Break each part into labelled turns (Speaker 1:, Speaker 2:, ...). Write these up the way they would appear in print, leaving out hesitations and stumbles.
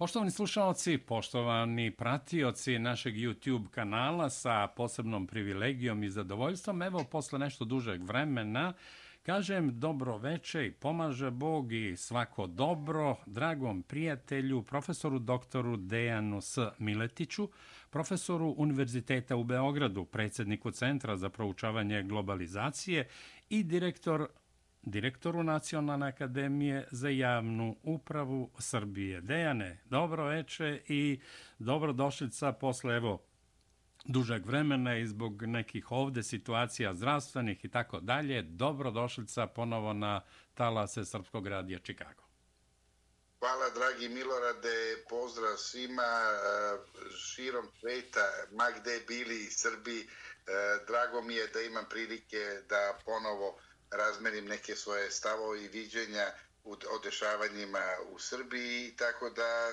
Speaker 1: Poštovani slušalci, poštovani pratioci našeg YouTube kanala sa posebnom privilegijom i zadovoljstvom, evo posle nešto dužeg vremena kažem dobro veče i pomaže Bog i svako dobro dragom prijatelju, profesoru doktoru Dejanu S. Miletiću, profesoru Univerziteta u Beogradu, predsjedniku Centra za proučavanje globalizacije i direktoru Nacionalne akademije za javnu upravu Srbije. Dejane, dobro veče i dobrodošlica posle dužeg vremena i zbog nekih ovde situacija zdravstvenih i tako dalje. Dobrodošlica ponovo na talase Srpskog radija Čikago.
Speaker 2: Hvala, dragi Milorade, pozdrav svima širom sveta, ma gde bili Srbi. Drago mi je da imam prilike da ponovo razmerim neke svoje stavove i viđenja o dešavanjima u Srbiji, tako da,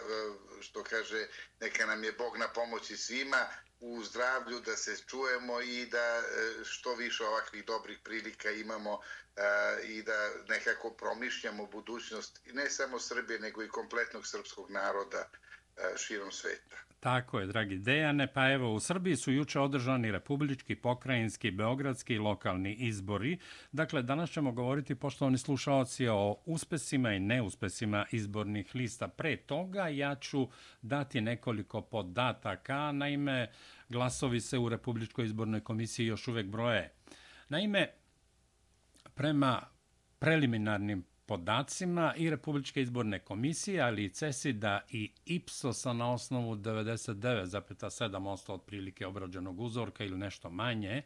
Speaker 2: što kaže, neka nam je Bog na pomoći svima u zdravlju, da se čujemo i da što više ovakvih dobrih prilika imamo i da nekako promišljamo budućnost ne samo Srbije, nego i kompletnog srpskog naroda širom sveta.
Speaker 1: Tako je, dragi Dejane. Pa evo, u Srbiji su juče održani republički, pokrajinski, beogradski i lokalni izbori. Dakle, danas ćemo govoriti, poštovani slušaoci, o uspesima i neuspesima izbornih lista. Pre toga ja ću dati nekoliko podataka. Naime, glasovi se u Republičkoj izbornoj komisiji još uvek broje. Naime, prema preliminarnim podacima i Republičke izborne komisije, ali i CESID-a i IPSOS-a na osnovu 99,7% otprilike obrađenog uzorka ili nešto manje,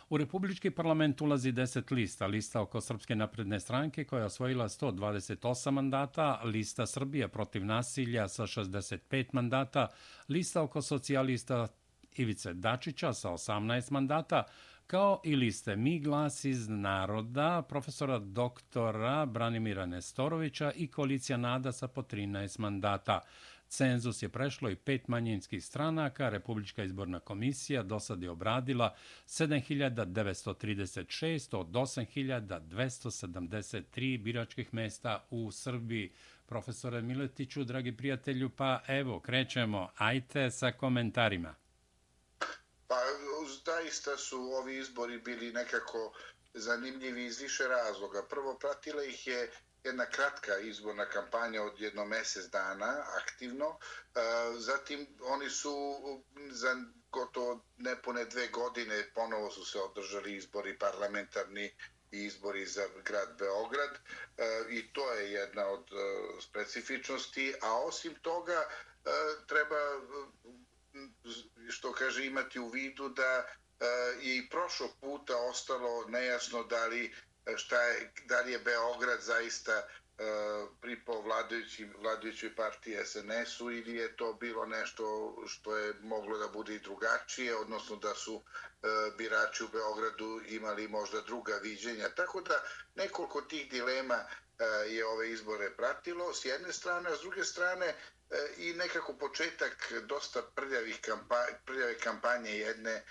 Speaker 1: u Republički parlament ulazi 10 lista. Lista oko Srpske napredne stranke koja je osvojila 128 mandata, lista Srbija protiv nasilja sa 65 mandata, lista oko socijalista Ivice Dačića sa 18 mandata, kao i liste Mi glas iz naroda, profesora doktora Branimira Nestorovića i koalicija NADA sa po 13 mandata. Cenzus je prešlo i 5 manjinskih stranaka. Republička izborna komisija do sad je obradila 7.936 od 8.273 biračkih mesta u Srbiji. Profesore Miletiću, dragi prijatelju, pa evo, krećemo. Ajte sa komentarima.
Speaker 2: Pa, zaista su ovi izbori bili nekako zanimljivi iz više razloga. Prvo, pratila ih je jedna kratka izborna kampanja od jedno mesec dana, aktivno. Zatim, oni su za gotovo nepune 2 godine ponovo su se održali izbori parlamentarni i izbori za grad Beograd. I to je jedna od specifičnosti. A osim toga, treba, što kaže, imati u vidu da je i prošlog puta ostalo nejasno da li je Beograd zaista pripao vladajućoj partiji SNS-u ili je to bilo nešto što je moglo da bude i drugačije, odnosno da su birači u Beogradu imali možda druga viđenja. Tako da nekoliko tih dilema je ove izbore pratilo s jedne strane, a s druge strane i nekako početak dosta prljave kampanje jedne,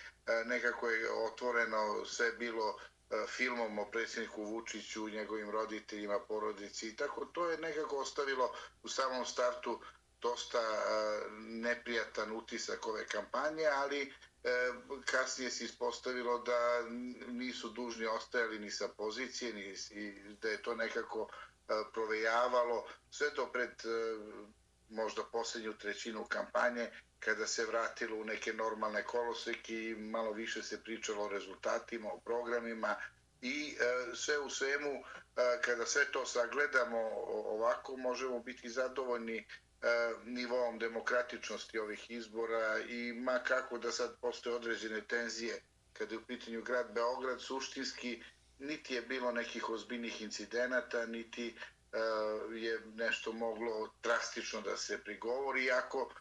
Speaker 2: nekako je otvoreno sve bilo filmom o predsjedniku Vučiću, njegovim roditeljima, porodici i tako. To je nekako ostavilo u samom startu dosta neprijatan utisak ove kampanje, ali kasnije se ispostavilo da nisu dužni ostajali ni sa pozicije, ni da je to nekako provejavalo sve do pred možda posljednju trećinu kampanje, kada se vratilo u neke normalne koloseke i malo više se pričalo o rezultatima, o programima i sve u svemu, kada sve to sagledamo ovako, možemo biti zadovoljni nivoom demokratičnosti ovih izbora i ma kako da sad postoje određene tenzije kada je u pitanju grad Beograd, suštinski niti je bilo nekih ozbiljnih incidenata, niti je nešto moglo drastično da se prigovori, iako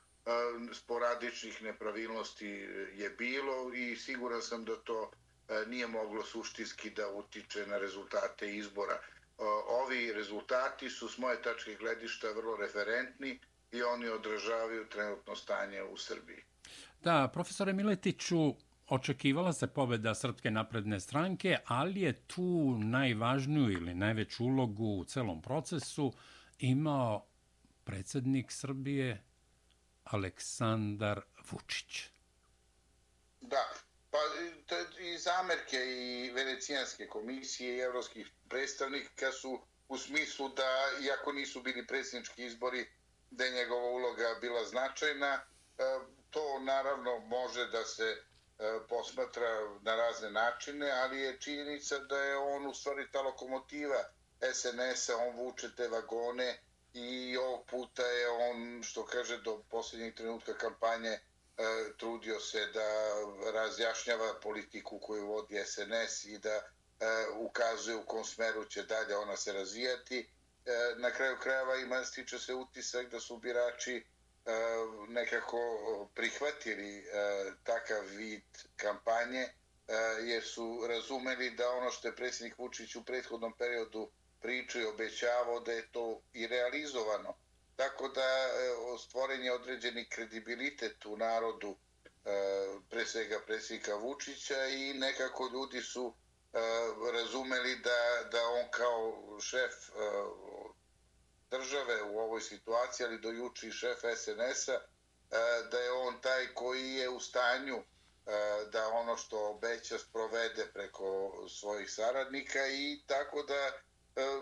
Speaker 2: sporadičnih nepravilnosti je bilo i siguran sam da to nije moglo suštinski da utiče na rezultate izbora. Ovi rezultati su s moje tačke gledišta vrlo referentni i oni odražavaju trenutno stanje u Srbiji.
Speaker 1: Da, profesore Miletiću, očekivala se pobeda Srpske napredne stranke, ali je tu najvažniju ili najveću ulogu u celom procesu imao predsjednik Srbije Aleksandar Vučić.
Speaker 2: Da, pa i zamerke i Venecijanske komisije i evropskih predstavnika su u smislu da, iako nisu bili predsjednički izbori, da je njegova uloga bila značajna. To naravno može da se posmatra na razne načine, ali je činjenica da je on u stvari ta lokomotiva SNS-a, on vuče te vagone i ovog puta je on, što kaže, do posljednjeg trenutka kampanje trudio se da razjašnjava politiku koju vodi SNS i da ukazuje u kom smeru će dalje ona se razvijati. Na kraju krajeva stiče se utisak da su birači nekako prihvatili takav vid kampanje jer su razumeli da ono što je predsjednik Vučić u prethodnom periodu pričao i obećavao da je to i realizovano. Tako da stvoren je određeni kredibilitet u narodu, pre svega predsjednika Vučića, i nekako ljudi su razumeli da on kao šef države u ovoj situaciji, ali do juče i šef SNS-a, da je on taj koji je u stanju da ono što obeća sprovede preko svojih saradnika, i tako da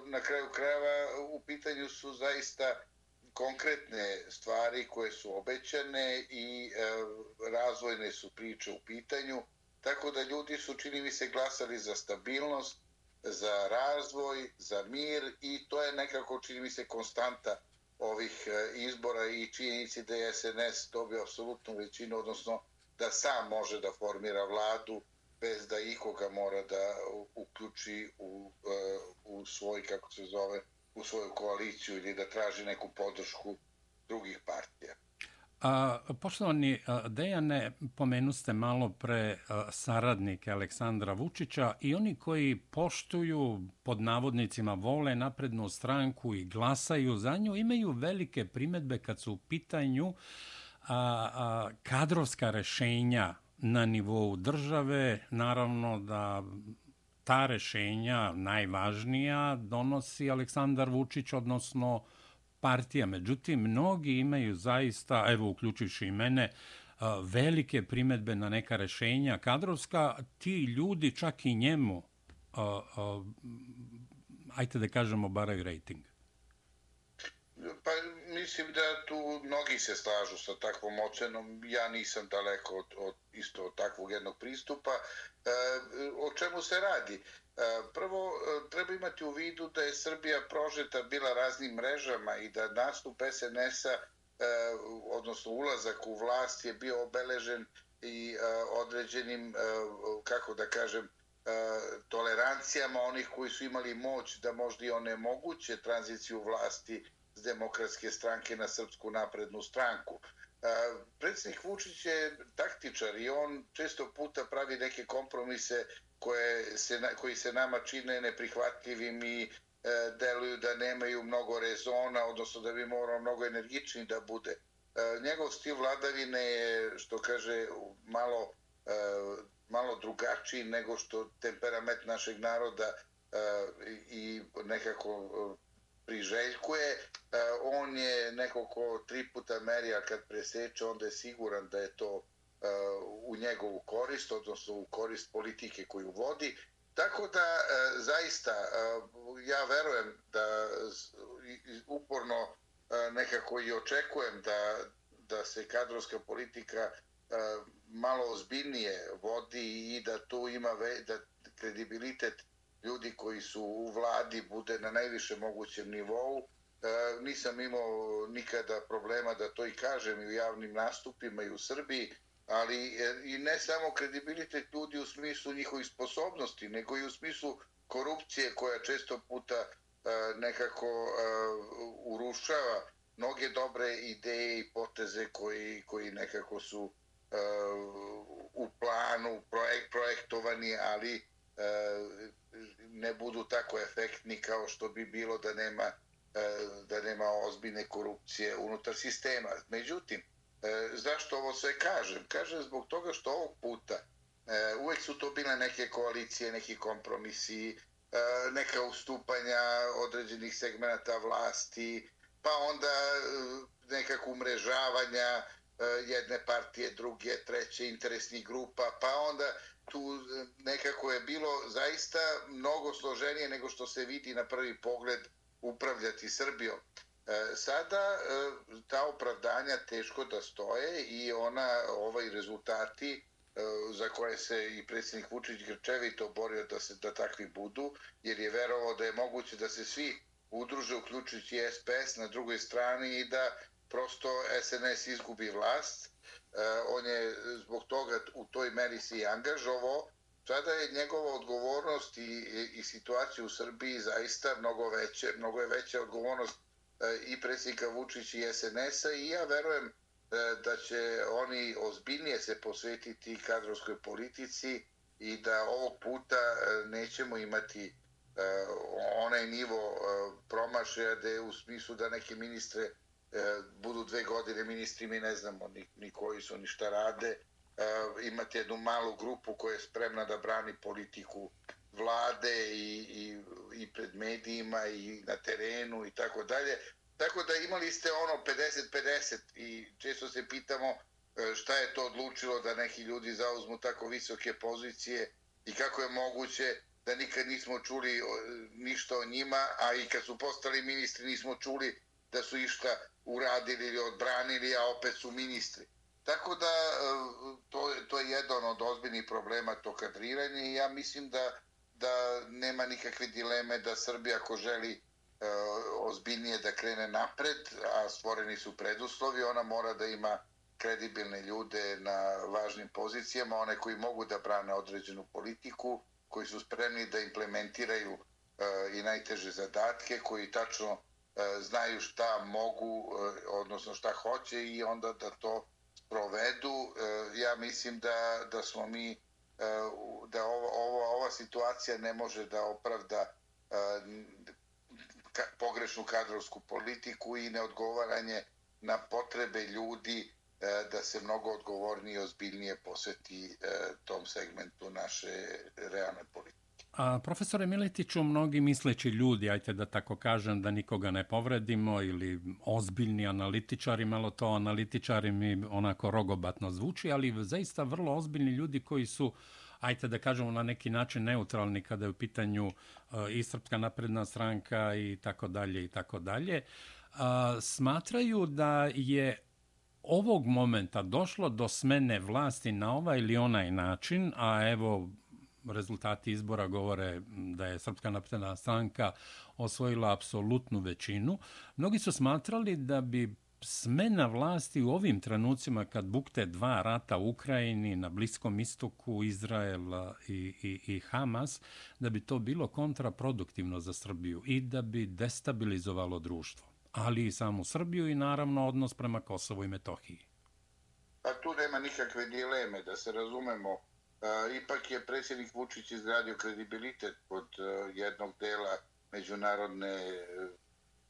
Speaker 2: na kraju krajeva u pitanju su zaista konkretne stvari koje su obećane i razvojne su priče u pitanju, tako da ljudi su, čini mi se, glasali za stabilnost, za razvoj, za mir, i to je nekako, čini mi se, konstanta ovih izbora i činjenici da je SNS dobio apsolutnu većinu, odnosno da sam može da formira vladu bez da ikoga mora da uključi u svoj, kako se zove, u svoju koaliciju ili da traži neku podršku drugih partija.
Speaker 1: Poštovani Dejane, pomenuste malo pre saradnike Aleksandra Vučića i oni koji poštuju, pod navodnicima, vole Naprednu stranku i glasaju za nju, imaju velike primedbe kad su u pitanju kadrovska rešenja na nivou države. Naravno da ta rešenja, najvažnija, donosi Aleksandar Vučić, odnosno partija. Međutim, mnogi imaju zaista, evo uključujući i mene, velike primedbe na neka rešenja kadrovska. Ti ljudi čak i njemu, ajte da kažemo, baraju rejting.
Speaker 2: Pa mislim da tu mnogi se slažu sa takvom ocenom. Ja nisam daleko od isto takvog jednog pristupa. O čemu se radi? Prvo, treba imati u vidu da je Srbija prožeta bila raznim mrežama i da nastup SNS-a, odnosno ulazak u vlast, je bio obeležen i određenim, kako da kažem, tolerancijama onih koji su imali moć da možda i onemoguće tranziciju vlasti s Demokratske stranke na Srpsku naprednu stranku. Predsjednik Vučić je taktičar i on često puta pravi neke kompromise koji se nama čine neprihvatljivim i deluju da nemaju mnogo rezona, odnosno da bi morao mnogo energičniji da bude. Njegov stil vladavine je, što kaže, malo drugačiji nego što temperament našeg naroda i nekako priželjkuje. On je neko ko 3 puta meri, a kad preseče, onda je siguran da je to u njegovu korist, odnosno u korist politike koju vodi. Tako da, zaista, ja verujem da uporno nekako i očekujem da se kadrovska politika malo ozbiljnije vodi i da tu ima da kredibilitet ljudi koji su u vladi bude na najviše mogućem nivou. Nisam imao nikada problema da to i kažem i u javnim nastupima i u Srbiji, ali i ne samo kredibilitet ljudi u smislu njihovih sposobnosti, nego i u smislu korupcije koja često puta nekako urušava mnoge dobre ideje i poteze koji nekako su u planu projektovani, ali ne budu tako efektni kao što bi bilo da nema ozbiljne korupcije unutar sistema. Međutim, zašto ovo sve kažem? Kažem zbog toga što ovog puta uvek su to bile neke koalicije, neki kompromisi, neka ustupanja određenih segmenata vlasti, pa onda nekako umrežavanja jedne partije, druge, treće, interesnih grupa, pa onda tu nekako je bilo zaista mnogo složenije nego što se vidi na prvi pogled upravljati Srbijom. Sada ta opravdanja teško da stoje i rezultati za koje se i predsjednik Vučić grčevito borio da takvi budu, jer je verovao da je moguće da se svi udruže, uključujući SPS na drugoj strani i da prosto SNS izgubi vlast. On je zbog toga u toj meri se i angažovao. Sada je njegova odgovornost i situacija u Srbiji zaista mnogo je veća odgovornost i predsjednika Vučića i SNS-a i ja verujem da će oni ozbiljnije se posvetiti kadrovskoj politici i da ovog puta nećemo imati onaj nivo promašaja da je u smislu da neke ministre budu 2 godine ministri, mi ne znamo ni koji su, ni šta rade. Imate jednu malu grupu koja je spremna da brani politiku vlade i pred medijima i na terenu i tako dalje. Tako da imali ste 50-50 i često se pitamo šta je to odlučilo da neki ljudi zauzmu tako visoke pozicije i kako je moguće da nikad nismo čuli ništa o njima, a i kad su postali ministri nismo čuli da su išta uradili ili odbranili, a opet su ministri. Tako da to je jedan od ozbiljnih problema, to kadriranje, i ja mislim da nema nikakve dileme da Srbija, ako želi ozbiljnije da krene napred, a stvoreni su preduslovi, ona mora da ima kredibilne ljude na važnim pozicijama, one koji mogu da brane određenu politiku, koji su spremni da implementiraju i najteže zadatke, koji tačno znaju šta mogu, odnosno šta hoće i onda da to provedu. Ja mislim da smo mi, da ova situacija ne može da opravda pogrešnu kadrovsku politiku i neodgovaranje na potrebe ljudi da se mnogo odgovornije i ozbiljnije posveti tom segmentu naše realne politike.
Speaker 1: Profesore Miletiću, mnogi misleći ljudi, ajte da tako kažem, da nikoga ne povredimo, ili ozbiljni analitičari, malo to analitičari mi onako rogobatno zvuči, ali zaista vrlo ozbiljni ljudi koji su, ajte da kažemo, na neki način neutralni kada je u pitanju i Srpska napredna stranka i tako dalje, smatraju da je ovog momenta došlo do smene vlasti na ovaj ili onaj način, a evo rezultati izbora govore da je Srpska napredna stranka osvojila apsolutnu većinu. Mnogi su smatrali da bi smena vlasti u ovim trenucima kad bukte 2 rata u Ukrajini, na Bliskom istoku, Izrael i Hamas, da bi to bilo kontraproduktivno za Srbiju i da bi destabilizovalo društvo, ali i samu Srbiju i naravno odnos prema Kosovu i Metohiji.
Speaker 2: Pa tu nema nikakve dileme, da se razumemo. Ipak je predsjednik Vučić izgradio kredibilitet kod jednog dela međunarodne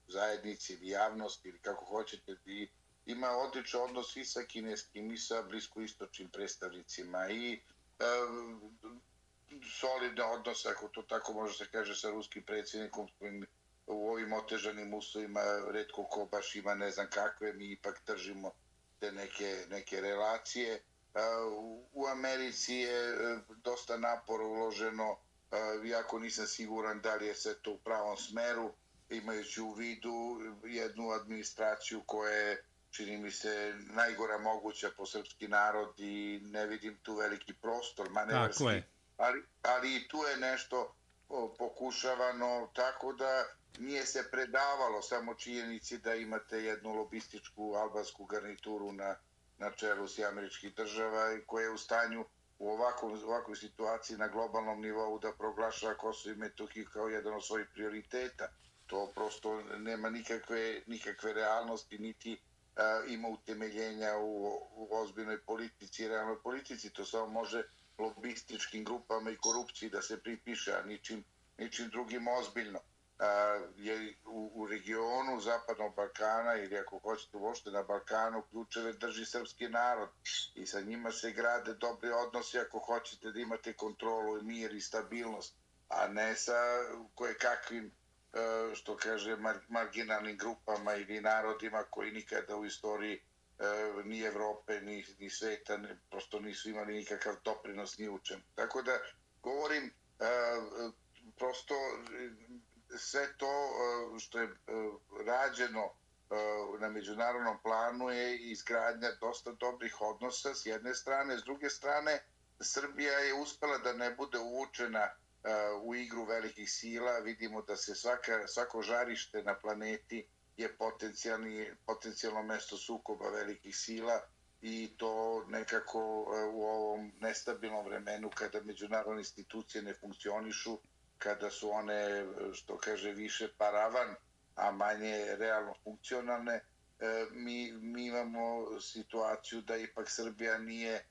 Speaker 2: zajednice ili javnosti, ili kako hoćete, i ima odličan odnos i sa kineskim i sa bliskoistočnim predstavnicima i solidne odnose, ako to tako može se kaže, sa ruskim predsjednikom, s kojim u ovim otežanim uslovima retko ko baš ima ne znam kakve, mi ipak držimo te neke relacije. U Americi je dosta napora uloženo, iako nisam siguran da li je sve to u pravom smeru, imajući u vidu jednu administraciju koja je, čini mi se, najgora moguća po srpski narod i ne vidim tu veliki prostor manevarski. Ali i tu je nešto pokušavano, tako da nije se predavalo samo činjenici da imate jednu lobističku albansku garnituru na čelu Američkih država koja je u stanju u ovakvoj situaciji na globalnom nivou da proglašava Kosovo i Metohiju kao jedan od svojih prioriteta. To prosto nema nikakve realnosti, niti ima utemeljenja u ozbiljnoj politici i realnoj politici. To samo može lobističkim grupama i korupciji da se pripiše, a ničim drugim ozbiljno. Je u regionu Zapadnog Balkana, ili ako hoćete uopšte na Balkanu, ključeve drži srpski narod i sa njima se grade dobri odnosi ako hoćete da imate kontrolu, mir i stabilnost, a ne sa kojekakvim što kaže, marginalnim grupama ili narodima koji nikada u istoriji ni Evrope, ni sveta, prosto nisu imali nikakav doprinos ni u čemu. Tako da govorim, prosto sve to što je rađeno na međunarodnom planu je izgradnja dosta dobrih odnosa s jedne strane, s druge strane Srbija je uspela da ne bude uvučena u igru velikih sila. Vidimo da se svako žarište na planeti je potencijalno mesto sukoba velikih sila i to nekako u ovom nestabilnom vremenu kada međunarodne institucije ne funkcionišu, kada su one, što kaže, više paravan, a manje realno funkcionalne, mi imamo situaciju da ipak Srbija nije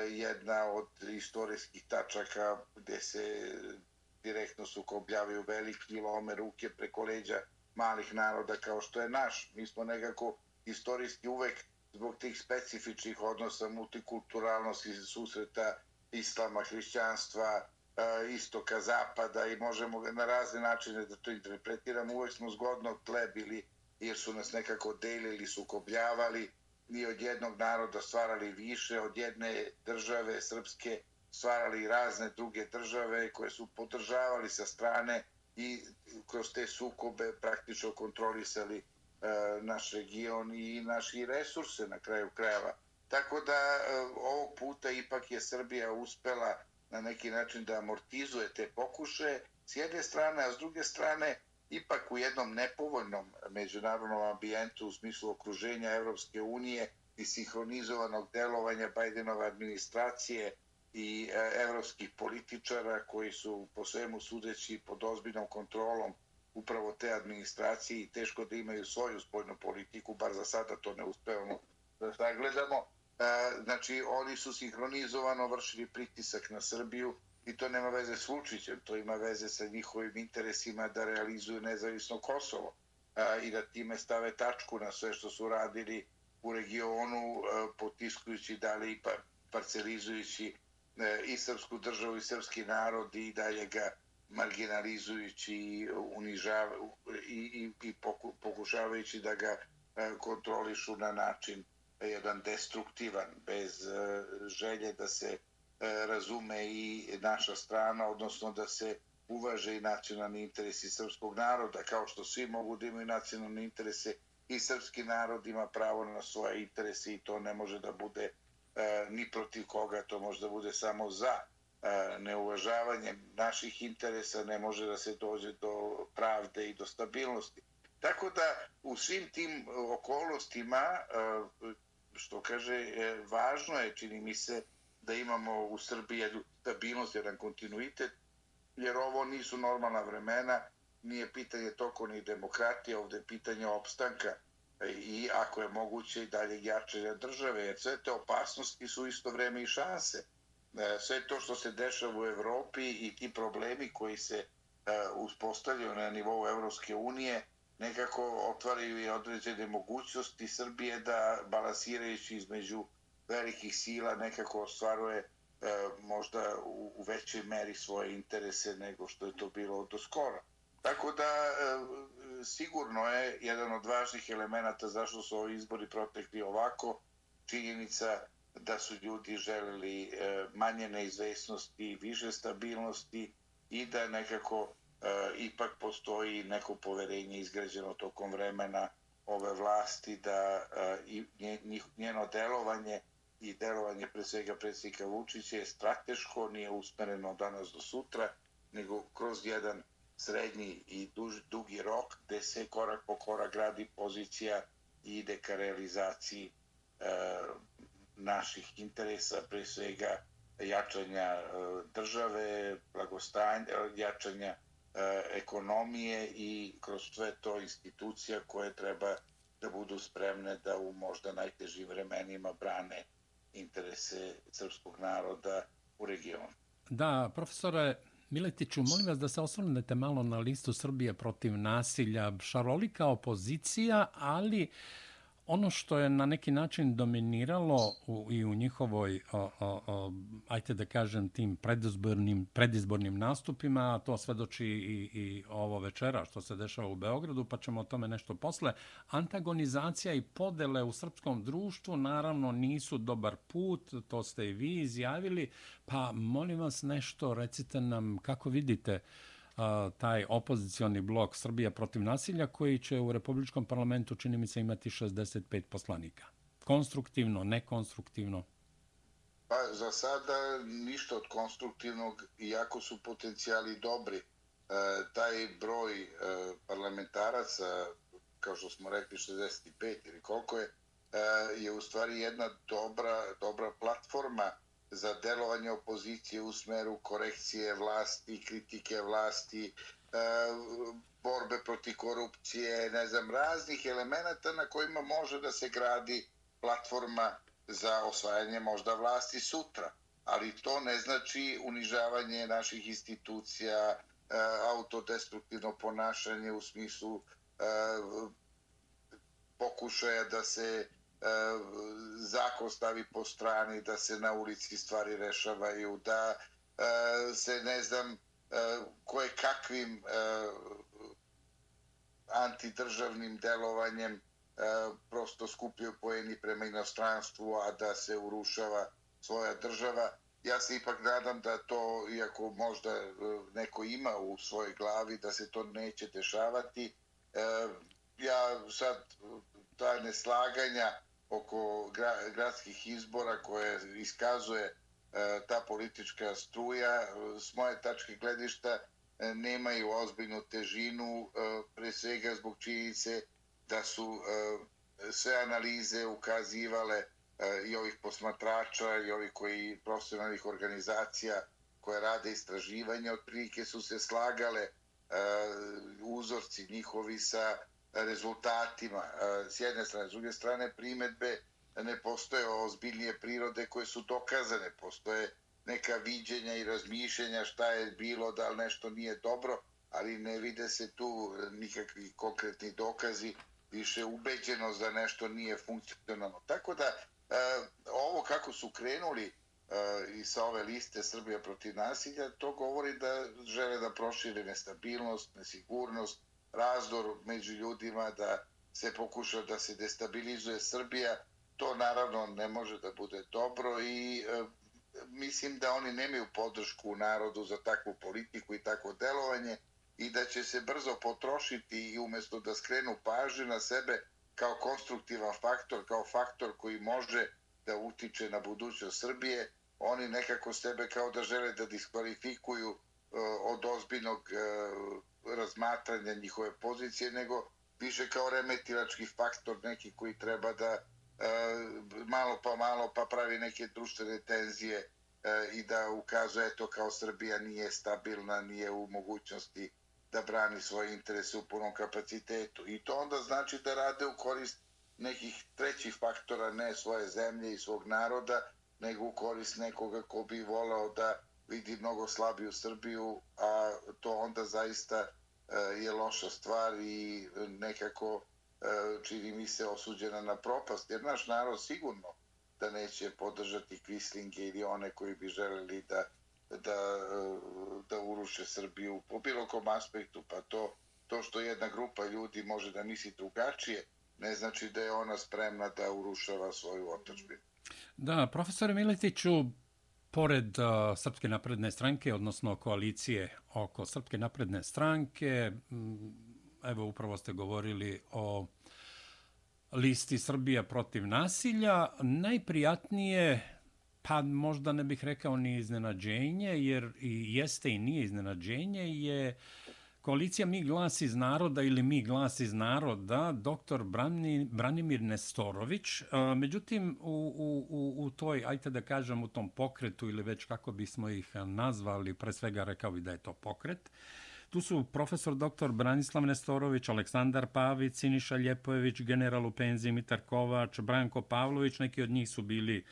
Speaker 2: jedna od istorijskih tačaka gde se direktno sukobljavaju veliki i lome ruke preko leđa malih naroda kao što je naš. Mi smo nekako istorijski uvek zbog tih specifičnih odnosa, multikulturalnosti, susreta islama, hrišćanstva, istoka, zapada i možemo na razne načine da to interpretiramo. Uvek smo zgodno tle bili jer su nas nekako delili, sukobljavali i od jednog naroda stvarali više, od jedne države srpske stvarali razne druge države koje su podržavali sa strane i kroz te sukobe praktično kontrolisali naš region i naši resurse na kraju krajeva. Tako da ovog puta ipak je Srbija uspela na neki način da amortizuje te pokušaje s jedne strane, a s druge strane ipak u jednom nepovoljnom međunarodnom ambijentu u smislu okruženja Evropske unije i sinhronizovanog delovanja Bajdenove administracije i evropskih političara koji su po svemu sudeći pod ozbiljnom kontrolom upravo te administracije i teško da imaju svoju spoljnu politiku, bar za sada to ne uspevamo da sagledamo. Znači, oni su sinhronizovano vršili pritisak na Srbiju i to nema veze s Vučićem, to ima veze sa njihovim interesima da realizuju nezavisno Kosovo i da time stave tačku na sve što su radili u regionu, potiskujući dalje i parcelizujući i srpsku državu i srpski narod i dalje ga marginalizujući i pokušavajući da ga kontrolišu na način jedan destruktivan, bez želje da se razume i naša strana, odnosno da se uvaže i nacionalni interesi srpskog naroda, kao što svi mogu da imaju nacionalne interese i srpski narod ima pravo na svoje interese i to ne može da bude ni protiv koga, to može da bude samo za. Neuvažavanjem naših interesa ne može da se dođe do pravde i do stabilnosti. Tako da u svim tim okolnostima, što kaže, važno je, čini mi se, da imamo u Srbiji jednu stabilnost, jedan kontinuitet, jer ovo nisu normalna vremena, nije pitanje toliko ni demokratije, ovde je pitanje opstanka i ako je moguće i dalje jačanja države, jer sve te opasnosti su isto vreme i šanse. Sve to što se dešava u Evropi i ti problemi koji se uspostavljaju na nivou Evropske unije nekako otvaraju i određene mogućnosti Srbije da balansirajući između velikih sila nekako ostvaruje možda u većoj meri svoje interese nego što je to bilo do skora. Tako da sigurno je jedan od važnih elemenata zašto su ovi izbori protekli ovako, činjenica da su ljudi želeli manje neizvesnosti, više stabilnosti i da nekako ipak postoji neko poverenje izgrađeno tokom vremena ove vlasti da njeno delovanje i delovanje pre svega predsjednika Vučića je strateško, nije usmereno danas do sutra, nego kroz jedan srednji i dugi rok gde se korak po korak gradi pozicija i ide ka realizaciji naših interesa, pre svega jačanja države, blagostanja, jačanja ekonomije i kroz sve to institucija koje treba da budu spremne da u možda najtežim vremenima brane interese srpskog naroda u regionu.
Speaker 1: Da, profesore Miletiću, molim vas da se osvrnete malo na listu Srbije protiv nasilja. Šarolika opozicija, ali Ono što je na neki način dominiralo i u njihovoj, ajte da kažem, tim predizbornim nastupima, a to svedoči i ovo večera što se dešava u Beogradu, pa ćemo o tome nešto posle. Antagonizacija i podele u srpskom društvu naravno nisu dobar put, to ste i vi izjavili, pa molim vas nešto, recite nam kako vidite taj opozicioni blok Srbija protiv nasilja koji će u Republičkom parlamentu, čini mi se, imati 65 poslanika. Konstruktivno, nekonstruktivno?
Speaker 2: Pa za sada ništa od konstruktivnog, iako su potencijali dobri. Taj broj parlamentaraca, kao što smo rekli 65 ili koliko je u stvari jedna dobra platforma za delovanje opozicije u smeru korekcije vlasti, kritike vlasti, borbe protiv korupcije, raznih elemenata na kojima može da se gradi platforma za osvajanje možda vlasti sutra. Ali to ne znači unižavanje naših institucija, autodestruktivno ponašanje u smislu pokušaja da se zakon stavi po strani, da se na ulici stvari rešavaju, da se koje kakvim antidržavnim delovanjem prosto skupljaju poeni prema inostranstvu, a da se urušava svoja država. Ja se ipak nadam da to, iako možda neko ima u svojoj glavi, da se to neće dešavati. Ja sad ta neslaganja oko gradskih izbora koje iskazuje ta politička struja, s moje tačke gledišta nemaju ozbiljnu težinu, pre svega zbog činjenice da su sve analize ukazivale i ovih posmatrača i ovih profesionalnih organizacija koje rade istraživanja, otprilike su se slagale uzorci njihovi sa rezultatima s jedne strane. S druge strane, primedbe ne postoje ozbiljnije prirode koje su dokazane. Postoje neka viđenja i razmišljenja šta je bilo, da li nešto nije dobro, ali ne vide se tu nikakvi konkretni dokazi, više ubeđenost da nešto nije funkcionalno. Tako da ovo kako su krenuli i sa ove liste Srbija protiv nasilja, to govori da žele da prošire nestabilnost, nesigurnost, razdor među ljudima, da se pokuša da se destabilizuje Srbija. To naravno ne može da bude dobro i mislim da oni nemaju podršku u narodu za takvu politiku i takvo delovanje i da će se brzo potrošiti i umjesto da skrenu pažnju na sebe kao konstruktivan faktor, kao faktor koji može da utiče na budućnost Srbije, oni nekako sebe kao da žele da diskvalifikuju od ozbiljnog razmatranja njihove pozicije, nego više kao remetilački faktor neki koji treba da malo pa pravi neke društvene tenzije i da ukazuje eto kao Srbija nije stabilna, nije u mogućnosti da brani svoje interese u punom kapacitetu. I to onda znači da rade u korist nekih trećih faktora, ne svoje zemlje i svog naroda, nego u korist nekoga ko bi volao da vidi mnogo slabiju Srbiju, a to onda zaista je loša stvar i nekako čini mi se osuđena na propast, jer naš narod sigurno da neće podržati kvislinge ili one koji bi želeli da uruše Srbiju po bilo kom aspektu, pa to što jedna grupa ljudi može da misli drugačije, ne znači da je ona spremna da urušava svoju otadžbinu.
Speaker 1: Da, profesore Miletiću, pored Srpske napredne stranke, odnosno koalicije oko Srpske napredne stranke, evo upravo ste govorili o listi Srbija protiv nasilja, najprijatnije, pa možda ne bih rekao ni iznenađenje, jer i jeste i nije iznenađenje, je koalicija Mi glas iz naroda ili Mi glas iz naroda, dr. Branimir Nestorović. Međutim, u toj, ajte da kažem, u tom pokretu ili već kako bismo ih nazvali, pre svega rekao bi da je to pokret, tu su profesor dr. Branislav Nestorović, Aleksandar Pavić, Siniša Ljepojević, general u penziji Mitar Kovač, Branko Pavlović, neki od njih su bili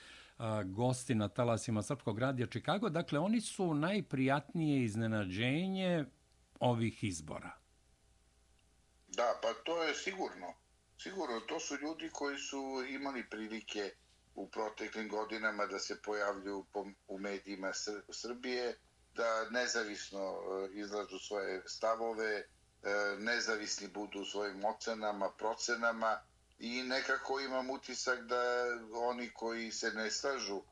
Speaker 1: gosti na talasima Srpskog radija Čikago. Dakle, oni su najprijatnije iznenađenje ovih izbora.
Speaker 2: Da, pa to je sigurno. Sigurno, to su ljudi koji su imali prilike u proteklim godinama da se pojavljuju u medijima Srbije, da nezavisno izlažu svoje stavove, nezavisni budu u svojim ocenama, procenama i nekako imam utisak da oni koji se ne slažu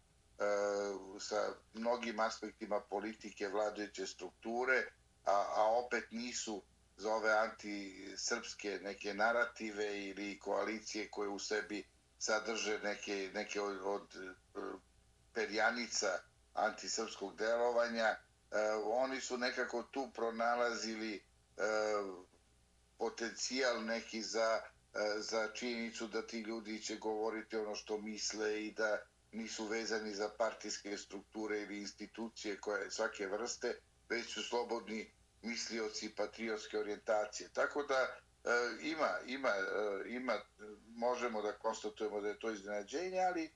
Speaker 2: sa mnogim aspektima politike vladajuće strukture, a opet nisu za ove antisrpske neke narative ili koalicije koje u sebi sadrže neke od perjanica antisrpskog delovanja, oni su nekako tu pronalazili potencijal neki za činjenicu da ti ljudi će govoriti ono što misle i da nisu vezani za partijske strukture ili institucije koje svake vrste, već su slobodni mislioci patriotske orijentacije. Tako da ima, možemo da konstatujemo da je to iznenađenje, ali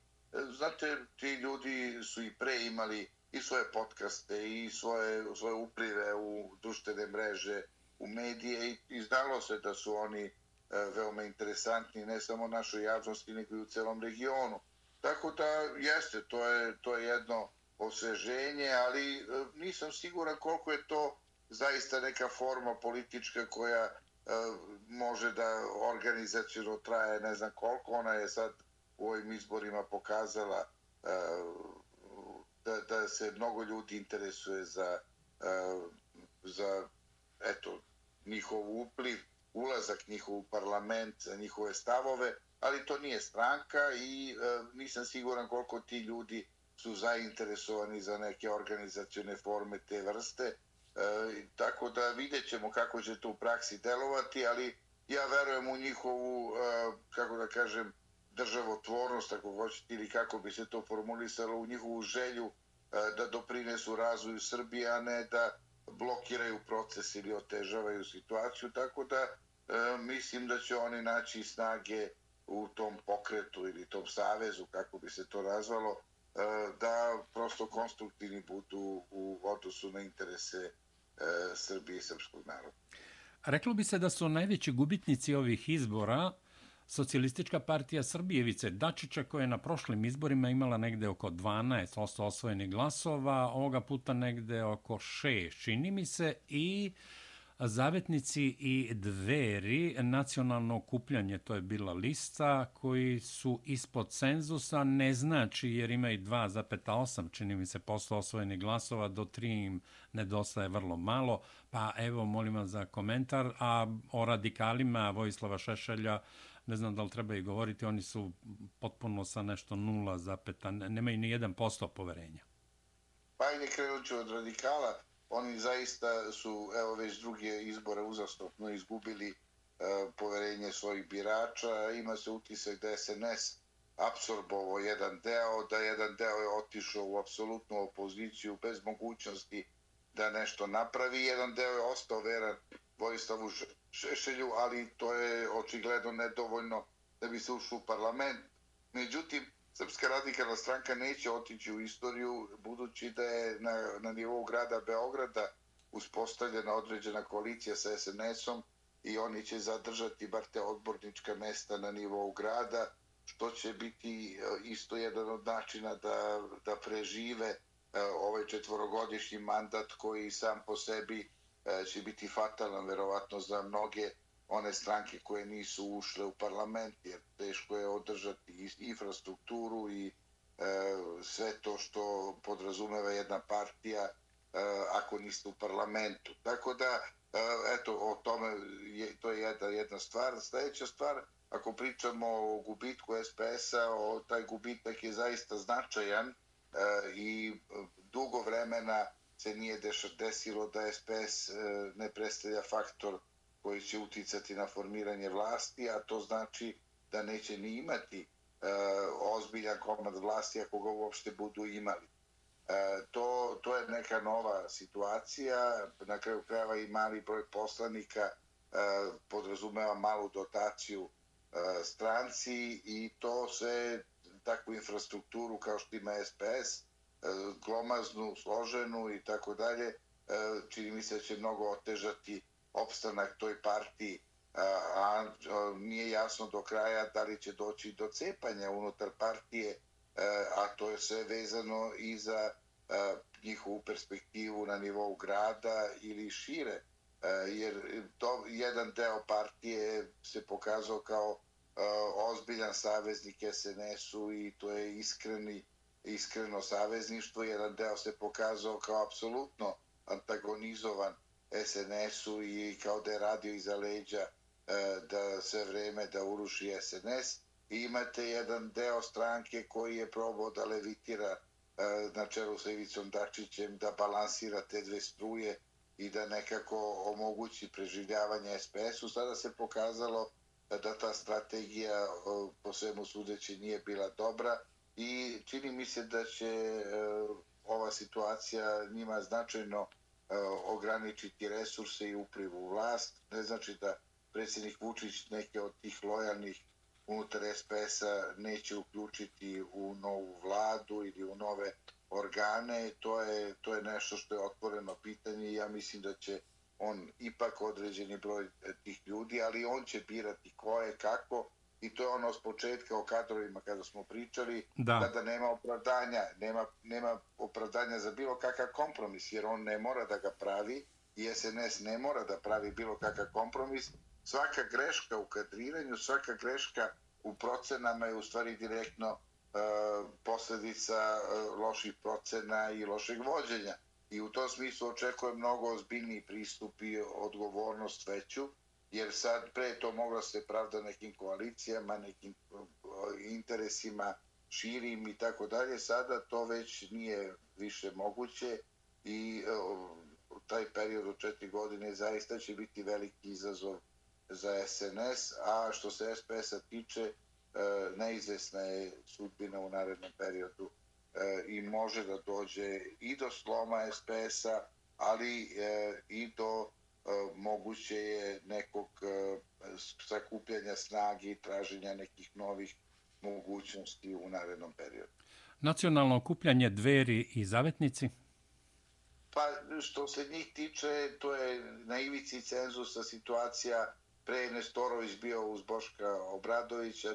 Speaker 2: znate, ti ljudi su i pre imali i svoje podcaste i svoje uplive u društvene mreže, u medije i znalo se da su oni veoma interesantni ne samo našoj javnosti, nego i u celom regionu. Tako da jeste, to je jedno osveženje, ali nisam siguran koliko je to zaista neka forma politička koja može da organizacijno traje ne znam koliko. Ona je sad u ovim izborima pokazala da se mnogo ljudi interesuje za eto, njihov upliv, ulazak njihov u parlament, za njihove stavove, ali to nije stranka i nisam siguran koliko ti ljudi su zainteresovani za neke organizacione forme te vrste. Tako da vidjet ćemo kako će to u praksi delovati, ali ja verujem u njihovu, kako da kažem, državotvornost, ako hoćete, ili kako bi se to formulisalo, u njihovu želju da doprinesu razvoju Srbije, a ne da blokiraju proces ili otežavaju situaciju. Tako da mislim da će oni naći snage u tom pokretu ili tom savezu, kako bi se to nazvalo, da prosto konstruktivni budu u odnosu na interese Srbije i srpskog naroda.
Speaker 1: Reklo bi se da su najveći gubitnici ovih izbora Socijalistička partija Srbije Ivice Dačića, koja je na prošlim izborima imala negde oko 12% osvojenih glasova, ovoga puta negde oko 6, čini mi se, i Zavetnici i Dveri, nacionalno okupljanje, to je bila lista, koji su ispod cenzusa, ne znači jer ima i 2,8, čini mi se, posto osvojenih glasova, do 3 im nedostaje vrlo malo, pa evo, molim vas za komentar, a o radikalima Vojislava Šešelja, ne znam da li treba i govoriti, oni su potpuno sa nešto 0, nemaju ni 1% poverenja.
Speaker 2: Pa ajde, krenut ću od radikala. Oni zaista su, evo, već druge izbore uzastopno izgubili poverenje svojih birača. Ima se utisak da je SNS apsorbovao jedan deo, da jedan deo je otišao u apsolutnu opoziciju bez mogućnosti da nešto napravi. Jedan deo je ostao veran Vojislavu Šešelju, ali to je očigledno nedovoljno da bi se ušlo u parlament. Međutim, Srpska radikalna stranka neće otići u istoriju, budući da je na nivou grada Beograda uspostavljena određena koalicija sa SNS-om i oni će zadržati bar te odbornička mesta na nivou grada, što će biti isto jedan od načina da prežive ovaj 4-godišnji mandat koji sam po sebi će biti fatalan verovatno za mnoge one stranke koje nisu ušle u parlament, jer teško je održati infrastrukturu i sve to što podrazumeva jedna partija ako niste u parlamentu. Tako da, eto, o tome to je jedna stvar. Sljedeća stvar, ako pričamo o gubitku SPS-a, taj gubitak je zaista značajan i dugo vremena se nije desilo da SPS ne predstavlja faktor koji će uticati na formiranje vlasti, a to znači da neće ni imati ozbiljan komad vlasti ako ga uopšte budu imali. To je neka nova situacija, na kraju krajeva i mali broj poslanika podrazumeva malu dotaciju stranci i to se takvu infrastrukturu kao što ima SPS, glomaznu, složenu i tako dalje, čini mi se da će mnogo otežati opstanak toj partiji a nije jasno do kraja da li će doći do cepanja unutar partije, a to je sve vezano i za njihovu perspektivu na nivou grada ili šire, jer jedan deo partije se pokazao kao ozbiljan saveznik SNS-u i to je iskreno savezništvo. Jedan deo se pokazao kao apsolutno antagonizovan SNS-u i kao da je radio iza leđa da sve vreme da uruši SNS. I imate jedan deo stranke koji je probao da levitira na čelu sa Ivicom Dačićem, da balansira te dve struje i da nekako omogući preživljavanje SPS-u. Sada se pokazalo da ta strategija po svemu sudeći nije bila dobra i čini mi se da će ova situacija njima značajno ograničiti resurse i upliv u vlast. Ne znači da predsjednik Vučić neke od tih lojalnih unutar SPS-a neće uključiti u novu vladu ili u nove organe. To je nešto što je otvoreno pitanje i ja mislim da će on ipak određeni broj tih ljudi, ali on će birati ko je, kako, i to je ono s početka o kadrovima kada smo pričali, kada nema opravdanja za bilo kakav kompromis, jer on ne mora da ga pravi i SNS ne mora da pravi bilo kakav kompromis. Svaka greška u kadriranju, svaka greška u procenama je u stvari direktno posljedica loših procena i lošeg vođenja. I u tom smislu očekujem mnogo ozbiljniji pristup i odgovornost veću, jer sad pre to moglo se pravda nekim koalicijama, nekim interesima širim i tako dalje. Sada to već nije više moguće i taj period od 4 godine zaista će biti veliki izazov za SNS, a što se SPS-a tiče, neizvesna je sudbina u narednom periodu i može da dođe i do sloma SPS-a, ali i do moguće je nekog sakupljanja snage i traženja nekih novih mogućnosti u narednom periodu.
Speaker 1: Nacionalno okupljanje Dveri i Zavetnici?
Speaker 2: Pa što se njih tiče, to je na ivici cenzusa situacija. Pre je Nestorović bio uz Boška Obradovića,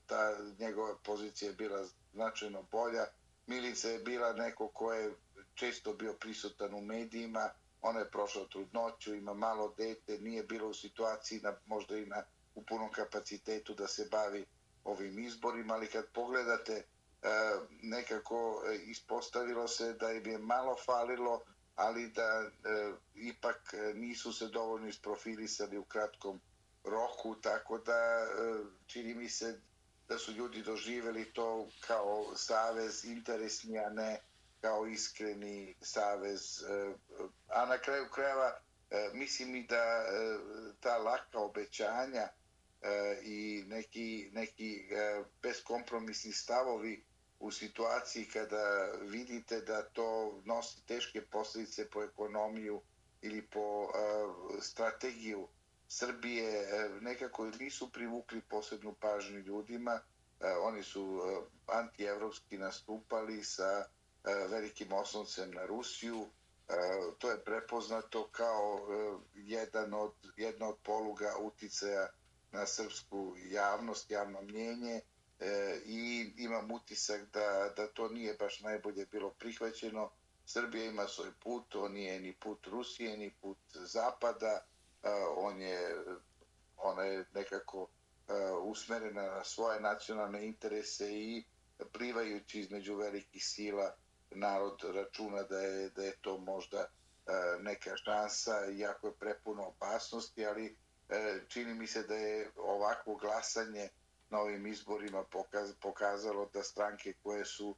Speaker 2: ta njegova pozicija je bila značajno bolja. Milica je bila neko ko je često bio prisutan u medijima, ona je prošla trudnoću, ima malo dete, nije bila u situaciji možda i u punom kapacitetu da se bavi ovim izborima, ali kad pogledate nekako ispostavilo se da im je malo falilo, ali da ipak nisu se dovoljno isprofilisali u kratkom roku, tako da čini mi se da su ljudi doživjeli to kao savez interesni, a ne kao iskreni savez. A na kraju krajeva mislim i da ta laka obećanja i neki beskompromisni stavovi u situaciji kada vidite da to nosi teške posljedice po ekonomiju ili po strategiju Srbije, nekako nisu privukli posebnu pažnju ljudima. Oni su antievropski nastupali sa velikim osloncem na Rusiju. To je prepoznato kao jedna od poluga uticaja na srpsku javnost, javno mnjenje, i imam utisak da to nije baš najbolje bilo prihvaćeno. Srbija ima svoj put, on nije ni put Rusije, ni put Zapada, ona je nekako usmerena na svoje nacionalne interese i plivajući između velikih sila narod računa da je to možda neka šansa, iako je prepuno opasnosti, ali čini mi se da je ovakvo glasanje na ovim izborima pokazalo da stranke koje su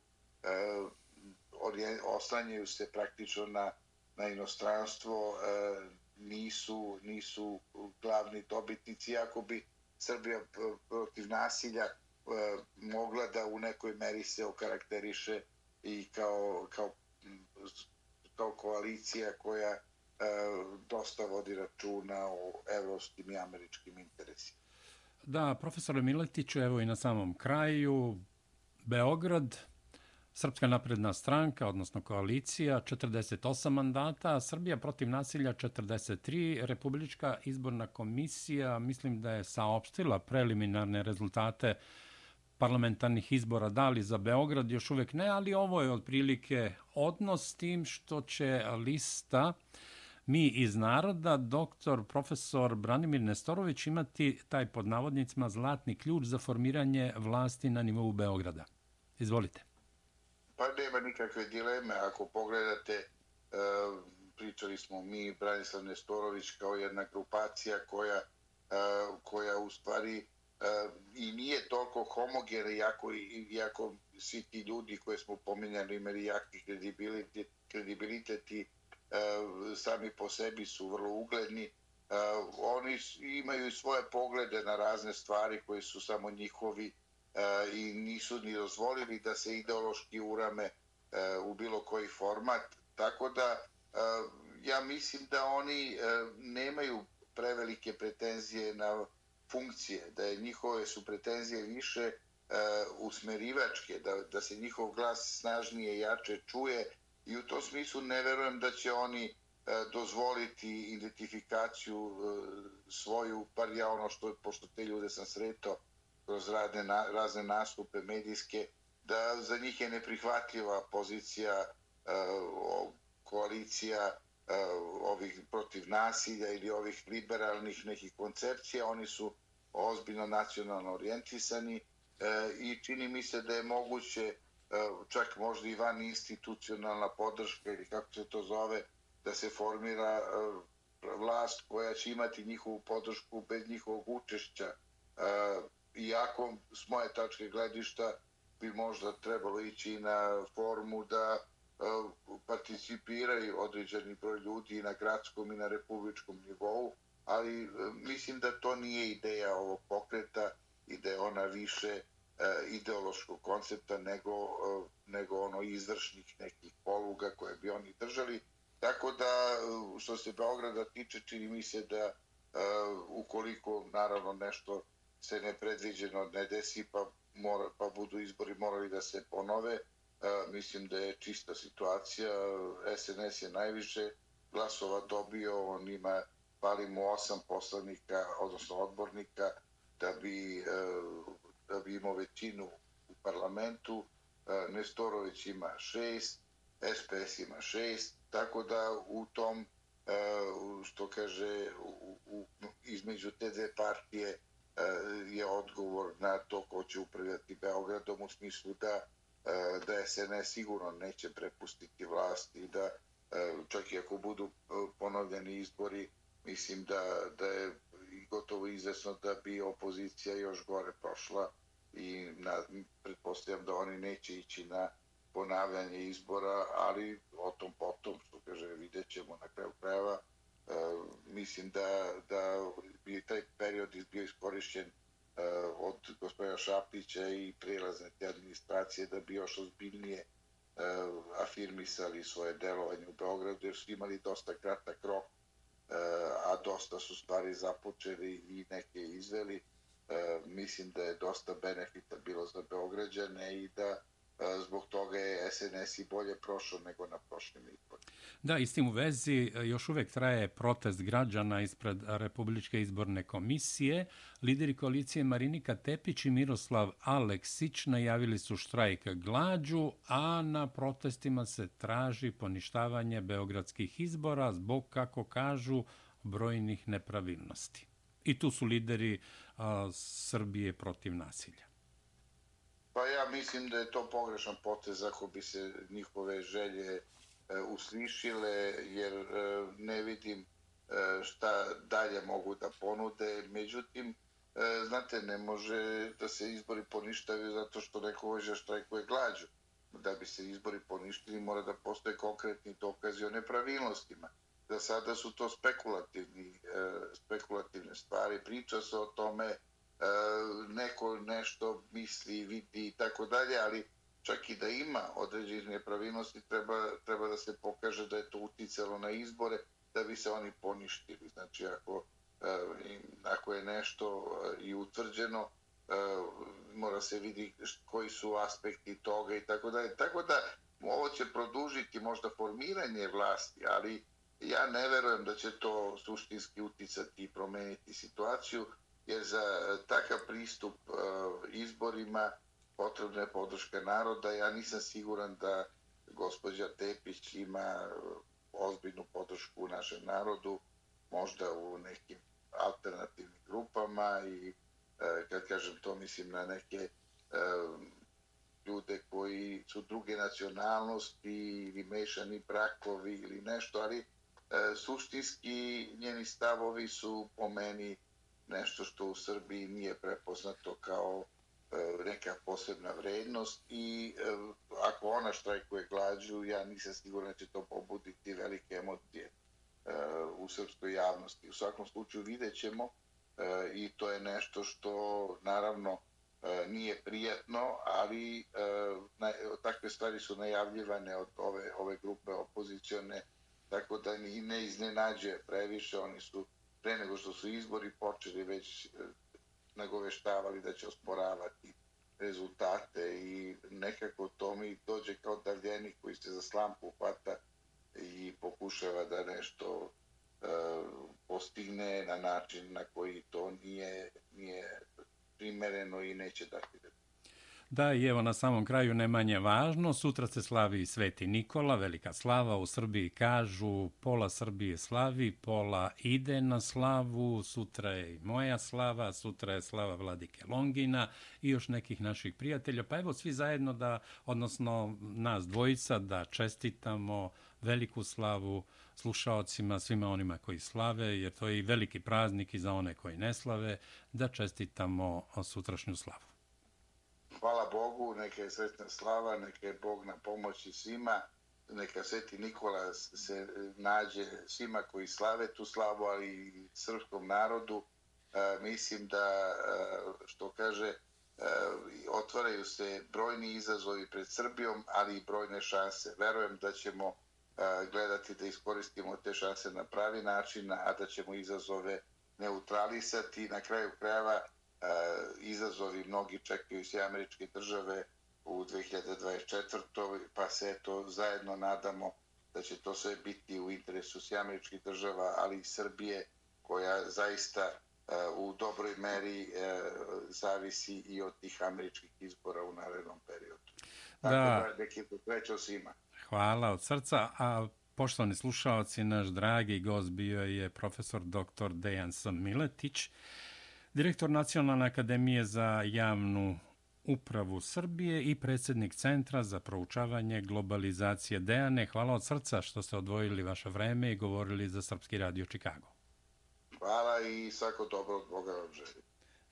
Speaker 2: oslanjaju se praktično na inostranstvo nisu glavni dobitnici, iako bi Srbija protiv nasilja mogla da u nekoj meri se okarakteriše i kao koalicija koja dosta vodi računa o evropskim i američkim interesima.
Speaker 1: Da, profesore Miletiću, evo i na samom kraju, Beograd, Srpska napredna stranka, odnosno koalicija, 48 mandata, Srbija protiv nasilja 43, Republička izborna komisija, mislim da je saopštila preliminarne rezultate parlamentarnih izbora, da li za Beograd, još uvek ne, ali ovo je otprilike odnos s tim što će lista Mi iz naroda, profesor Branimir Nestorović imati taj pod navodnicima zlatni ključ za formiranje vlasti na nivou Beograda. Izvolite.
Speaker 2: Pa nema nikakve dileme. Ako pogledate, pričali smo mi, Branislav Nestorović kao jedna grupacija koja u stvari i nije toliko homogena, iako svi ti ljudi koje smo pominjali imali jaki kredibilitet i sami po sebi su vrlo ugledni. Oni imaju svoje poglede na razne stvari koje su samo njihovi i nisu ni dozvolili da se ideološki urame u bilo koji format. Tako da ja mislim da oni nemaju prevelike pretenzije na funkcije, da je njihove su pretenzije više usmerivačke, da se njihov glas snažnije i jače čuje i u tom smislu ne verujem da će oni dozvoliti identifikaciju svoju, bar ja pošto te ljude sam sretao kroz razne nastupe medijske, da za njih je neprihvatljiva pozicija koalicija ovih protiv nasilja ili ovih liberalnih nekih koncepcija. Oni su ozbiljno nacionalno orijentisani i čini mi se da je moguće čak možda i van institucionalna podrška ili kako se to zove, da se formira vlast koja će imati njihovu podršku bez njihovog učešća. Iako s moje tačke gledišta bi možda trebalo ići na formu da participiraju određeni broj ljudi na gradskom i na republičkom nivou, ali mislim da to nije ideja ovog pokreta i da je ona više ideološkog koncepta nego ono izvršnih nekih poluga koje bi oni držali. Tako da, što se Beograda tiče, čini mi se da ukoliko naravno nešto se nepredviđeno ne desi pa budu izbori morali da se ponove, mislim da je čista situacija. SNS je najviše glasova dobio, on ima, fali mu 8 poslanika, odnosno odbornika, da bi imao većinu u parlamentu. Nestorović ima 6, SPS ima 6, tako da u tom, što kaže, između te dve partije je odgovor na to ko će upravljati Beogradom, u smislu da SNS sigurno neće prepustiti vlast i da čak i ako budu ponovljeni izbori, mislim da je gotovo izvesno da bi opozicija još gore prošla i pretpostavljam da oni neće ići na ponavljanje izbora, ali o tom potom, što kaže, vidjet ćemo na kraju krajeva. Mislim da bi taj period bio iskorišćen od gospodina Šapića i prelazne te administracije da bi još ozbiljnije afirmisali svoje delovanje u Beogradu, jer su imali dosta kratak rok, a dosta su stvari započeli i neke izveli. Mislim da je dosta benefita bilo za Beograđane i da zbog toga je SNS i bolje prošao nego na prošlim izborima.
Speaker 1: Da, i s tim u vezi još uvek traje protest građana ispred Republičke izborne komisije. Lideri koalicije Marinika Tepić i Miroslav Aleksić najavili su štrajk glađu, a na protestima se traži poništavanje beogradskih izbora zbog, kako kažu, brojnih nepravilnosti. I tu su lideri Srbije protiv nasilja.
Speaker 2: Pa ja mislim da je to pogrešan potez ako bi se njihove želje uslišile, jer ne vidim šta dalje mogu da ponude. Međutim, znate, ne može da se izbori poništaju zato što neko hoće štrajkuje glađu. Da bi se izbori poništili mora da postoje konkretni dokazi o nepravilnostima. Za sada su to spekulativne stvari. Priča se o tome, neko nešto misli, vidi i tako dalje, ali čak i da ima određenih nepravilnosti, treba da se pokaže da je to uticalo na izbore da bi se oni poništili. Znači, ako je nešto i utvrđeno, mora mora se vidi koji su aspekti toga i tako dalje. Tako da ovo će produžiti možda formiranje vlasti, ali ja ne verujem da će to suštinski uticati i promeniti situaciju, jer za takav pristup izborima potrebna je podrška naroda. Ja nisam siguran da gospođa Tepić ima ozbiljnu podršku u našem narodu, možda u nekim alternativnim grupama i kad kažem to mislim na neke ljude koji su druge nacionalnosti ili mešani brakovi ili nešto, ali suštinski njeni stavovi su po meni nešto što u Srbiji nije prepoznato kao neka posebna vrednost i ako ona štrajkuje glađu, ja nisam siguran da će to pobuditi velike emocije u srpskoj javnosti. U svakom slučaju vidjet ćemo i to je nešto što naravno nije prijatno, ali takve stvari su najavljivane od ove grupe opozicione, tako da ne iznenađuje previše. Oni su pre nego što su izbori počeli već nagoveštavali da će osporavati rezultate i nekako to mi dođe kao davljenik koji se za slamku hvata i pokušava da nešto postigne na način na koji to nije primereno i neće dati.
Speaker 1: Da, i evo na samom kraju ne manje važno, sutra se slavi Sveti Nikola, velika slava, u Srbiji kažu pola Srbije slavi, pola ide na slavu, sutra je i moja slava, sutra je slava Vladike Longina i još nekih naših prijatelja, pa evo svi zajedno da, odnosno nas dvojica, da čestitamo veliku slavu slušaocima, svima onima koji slave, jer to je i veliki praznik i za one koji ne slave, da čestitamo sutrašnju slavu.
Speaker 2: Hvala Bogu, neka je sretna slava, neka je Bog na pomoći svima, neka Sveti Nikola se nađe svima koji slave tu slavu, ali i srpskom narodu. Mislim da, što kaže, otvaraju se brojni izazovi pred Srbijom, ali i brojne šanse. Verujem da ćemo gledati da iskoristimo te šanse na pravi način, a da ćemo izazove neutralisati. Na kraju krajeva izazovi mnogi čekaju se američke države u 2024. pa se to zajedno nadamo da će to sve biti u interesu se američkih država, ali i Srbije, koja zaista u dobroj meri zavisi i od tih američkih izbora u narednom periodu. Tako da neki sreća svima.
Speaker 1: Hvala od srca, a poštovani slušaoci, naš dragi gost bio je profesor dr. Dejan S. Miletić, direktor Nacionalne akademije za javnu upravu Srbije i predsjednik Centra za proučavanje globalizacije. Dejane, hvala od srca što ste odvojili vaše vreme i govorili za Srpski radio Čikago.
Speaker 2: Hvala i svako dobro od Boga vam želim.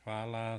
Speaker 1: Hvala.